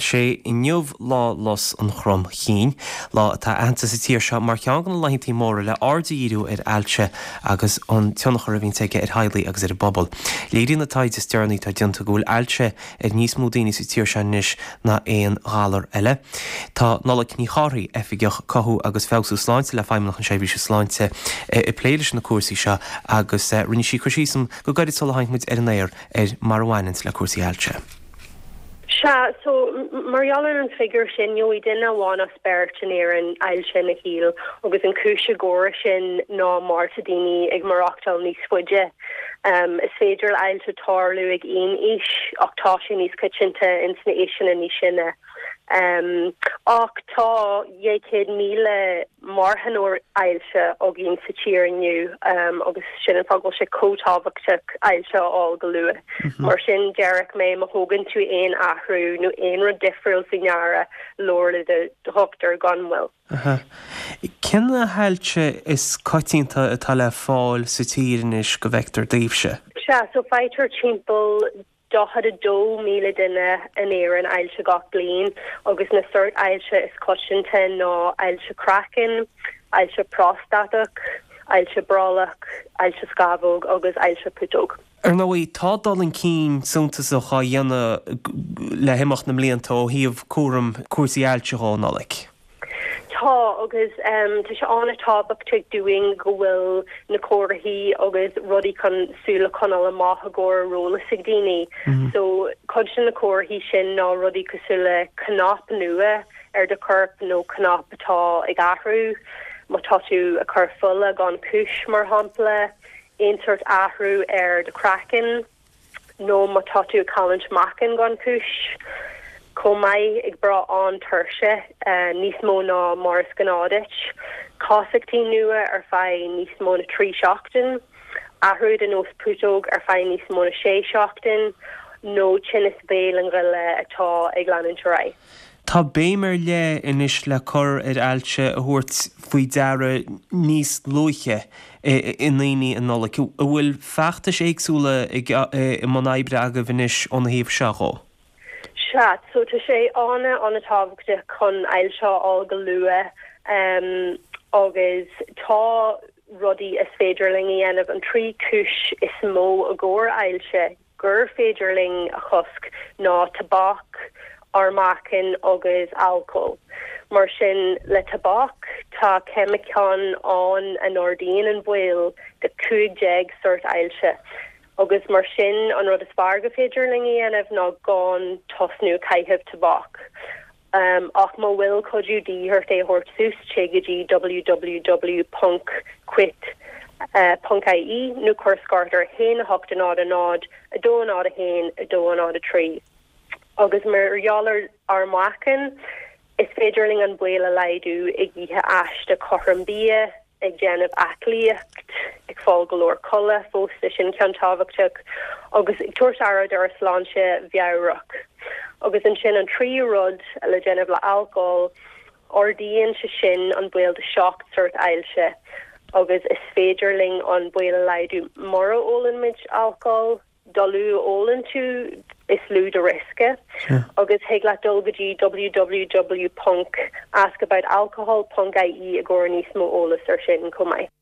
Sé inniu Lá Lus an Chromchinn, lá atá aitheanta sa tír seo mar cheann de na laethantaí móra le aird a dhíriú ar ailse agus an tionchar a bhíonns aige ar theaghlaigh agus ar an bpobal. Léiríonn an taighde is deireanaí atá déanta go bhfuil ailse ar níos mó daoine sa tír seo anois ná aon ghalar eile. Tá Nollaig Ní Chárthaigh, Oifigeach Cothú agus Feabhsú Sláinte le Feidhmeannacht na Seirbhíse Sláinte, ag plé leis na cúrsaí seo agus rinne sí cur síos go gairid sula tháinig muid ar an aer ar mar a bhaineanns le cúrsaí ailse. Sea, so, mar gheall ar an figiúr sin, gheobhaidh duine amháin as beirt in Éirinn ailse ina shaol agus an cúis i gcomhair sin ná mar tá daoine ag maireachtáil níos faide. Is féidir le ailse tarlú ag aon aois ach tá sé níos coitianta ins na aoiseanna níos sine. Ach tá 200,000 marthanóir ailse againn sa tír inniu agus sin an fáth go bhfuil sé chomh tábhachtach ailse a fháil go luath. Mar sin, déarfadh mé má thógann tú aon athrú nó aon rud difriúil faoi ndeara, labhair le do dhochtúir gan mhoill. Cén hailse is coitianta atá le fáil sa tír anois go bhfeictear daoibhse? Sea, so faightear timpeall 42,000 duine in Éirinn ailse gach bliain agus na sóirt ailse is coitianta ná ailse craicinn, ailse próstatach, ailse brollach, ailse scamhóg agus ailse putóg. Ar ndóigh, tá dul chun cinn suntasach á dhéanamh le himeacht na mblianta ó thaobh cúram cúrsaí ailse dhó, a Nollaig. Tá, agus tá sé an-tábhachtach dúinn go bhfuil na comharthaí agus rudaí chun súil a choinneáil amach i gcomhair ar eolas ag daoine. So, cuid de na comharthaí sin ná rudaí cosúil le cnap nua ar do chorp nó cnap atá ag athrú, má tá tú ag cur fola gan chúis, mar shampla, aon sórt athrú ar do chraiceann. nó má tá tú ag cailliúint meáchain gan chúis, chomh maith, ag brath an-tuirse, níos mó ná mar is gnáth duit, casachtaí nua ar feadh níos mó na 3 seachtain, athrú i do nós putóg ar feadh níos mó na 6 seachtain, nó tinneas béil an ghoile atá ag leanúint ar aghaidh. Tá béim ar leith anois le cur ar ailse a thabhairt faoi deara níos luaithe i ndaoine, a Nollaig. An bhfuil feachtais éagsúla i mbun oibre agaibh anois óna thaobh seo dhó? Sea, so tá sé an-an-tábhachtach chun ailse a fháil go luath agus tá rudaí is féidir linn a dhéanamh. An trí chúis is mó i gcomhair ailse, gur féidir linn a chosc ná tobac, ár meáchan agus alcól. Mar sin, le tobac, tá ceimiceáin ann a n-ardaíonn an baol do 15 sórt ailse. Agus mar sin, an rud is fearr go féidir linn a dhéanamh ná gan tosnú ag caitheamh tobac. Ach má bhfuil cuidiú de dhíth ort é a thabhairt suas, téigh go dtí www ponc quit ponc ie nó cuir scairt ar 1 8 0 0 2 0 1 2 0 3. Agus mar gheall ar ár meáchan, is féidir linn an baol a laghdú ag ithe aiste cothrom bia, ag déanamh aclaíocht, ag fáil go leor codladh, fosta, sin ceann tábhachtach, agus ag tabhairt aire dár sláinte mheabhrach. Agus ansin an tríú rud le déanamh le alcól, ardaíonn sé sin an baol do 7 sórt ailse agus is féidir linn an baol a laghdú mura ólann muid alcól. Dá lú a ólann tú, is lú do riosca. Agus thig leat dul go dtí www ponc askaboutalcohol ponc ie i gcomhair níos mó eolas ar sin chomh maith.